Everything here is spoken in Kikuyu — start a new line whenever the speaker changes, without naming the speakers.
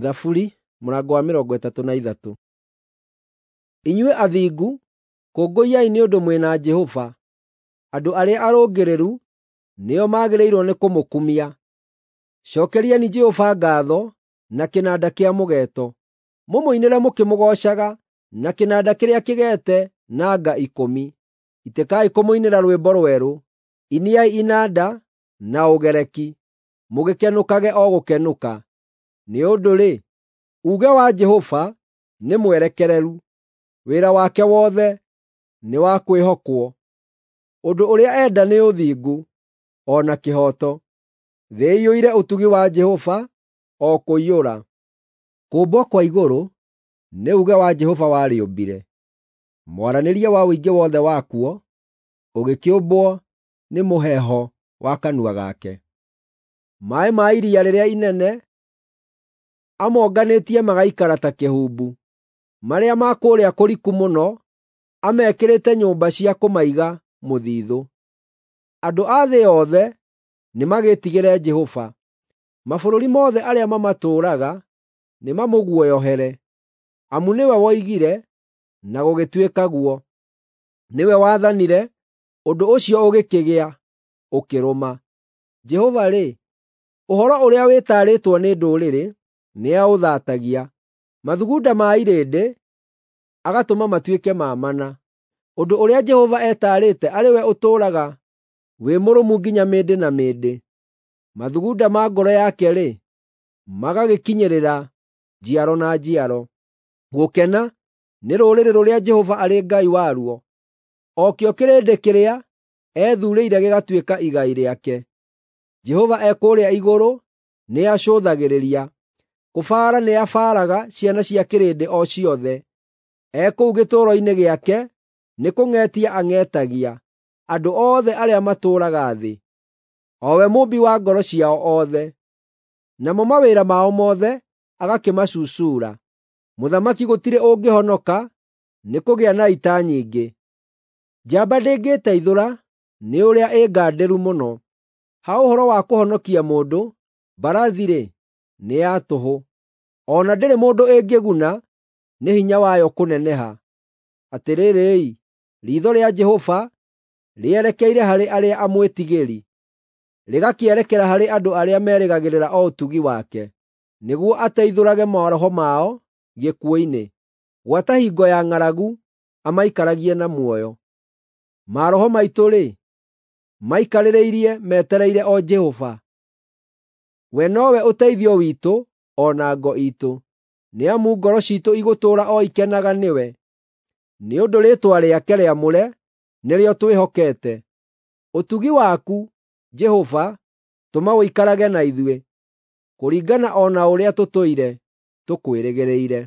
Thaburi mũrango wa 33. Inyuĩ athingu, kũngũiyai nĩ ũndũ mwĩ na Jehova; andũ arĩa arũngĩrĩru nĩo magĩrĩirwo nĩ kũmũkumia. Cookeriai Jehova ngaatho na kĩnanda kĩa mũgeeto, mũmũinĩre mũkĩmũgoocaga na kĩnanda kĩrĩa kĩgeete na nga ikũmi. Itĩkai kũmũinĩra rwĩmbo rwerũ; inĩai inanda na ũgereki, mũgĩkenũkage o gũkenũka. Nĩ ũndũ-rĩ, uuge wa Jehova nĩ mwerekereru, wĩra wake wothe nĩ wa kwĩhokwo. Ũndũ ũrĩa enda nĩ ũthingu o na kĩhooto; thĩ ĩiyũire ũtugi wa Jehova o kũiyũra. Kũũmbwo kwa igũrũ nĩ uuge wa Jehova warĩũmbire, mwaranĩrie wa ũingĩ wothe wakuo ũgĩkĩũmbwo nĩ mũheeho wa kanua gake. Maaĩ ma iria rĩrĩa inene amonganĩtie magaikara ta kĩhumbu; marĩa ma kũrĩa kũriku mũno amekĩrĩte nyũmba cia kũmaiga mũthiithũ. Andũ a thĩ yothe nĩmagĩĩtigĩre Jehova; mabũrũri mothe arĩa mamatũũraga nĩmamũguoyohere. Amu nĩwe woigire, na gũgĩtuĩka guo; nĩwe wathanire, ũndũ ũcio ũgĩkĩgĩa, ũkĩrũma. Jehova-rĩ, ũhoro ũrĩa wĩtaarĩtwo nĩ ndũrĩrĩ nĩaũthaatagia; mathugunda ma irĩndĩ agatũma matuĩke ma mana. Ũndũ ũrĩa Jehova etaarĩte arĩ we ũtũũraga wĩ mũrũmu nginya mĩndĩ na mĩndĩ. Mathugunda ma ngoro yake-rĩ, magagĩkinyĩrĩra njiaro na njiaro. Gũkena nĩ rũrĩrĩ rũrĩa Jehova arĩ Ngai waruo, o kĩo kĩrĩndĩ kĩrĩa ethuurĩire gĩgatuĩka igai rĩake. Jehova e kũrĩa igũrũ nĩacũthagĩrĩria, kũbaara nĩabaaraga ciana cia kĩrĩndĩ o ciothe. E kũu gĩtũũro-inĩ gĩake nĩkũng'etia ang'etagia andũ othe arĩa matũũraga thĩ, o we mũũmbi wa ngoro ciao othe. Namo mawĩra mao mothe agakĩmacucuura. Mũthamaki gũtirĩ ũngĩhonoka nĩkũgĩa na ita nyingĩ. Njamba ndĩngĩĩteithũra nĩ ũrĩa ĩ ngandĩru mũno. Ha ũhoro wa kũhonokia mũndũ, mbarathi-rĩ, nĩ ya tũhũ, o na ndĩrĩ mũndũ ĩngĩguna nĩ hinya wayo kũneneha. Atĩrĩrĩ-i, riitho rĩa Jehova rĩerekeire harĩ arĩa amwĩtigĩri, rĩgakĩerekera harĩ andũ arĩa merĩgagĩrĩra o ũtugi wake, nĩguo ateithũrage maroho mao gĩkuũ-inĩ, gwata hingo ya ng'aragu amaikaragie na muoyo. Maroho maitũ-rĩ, maikarĩrĩirie metereire o Jehova. We nowe ũteithio witũ o na ngo iitũ, nĩ amu ngoro ciitũ igũtũũra o ikenaga nĩwe, nĩ ũndũ rĩĩtwa rĩake rĩamũre nĩrĩo twĩhokete. Ũtugi waku, Jehova, tũma ũikarage na ithuĩ, kũringana o na ũrĩa tũtũire tũkwĩrĩgĩrĩire.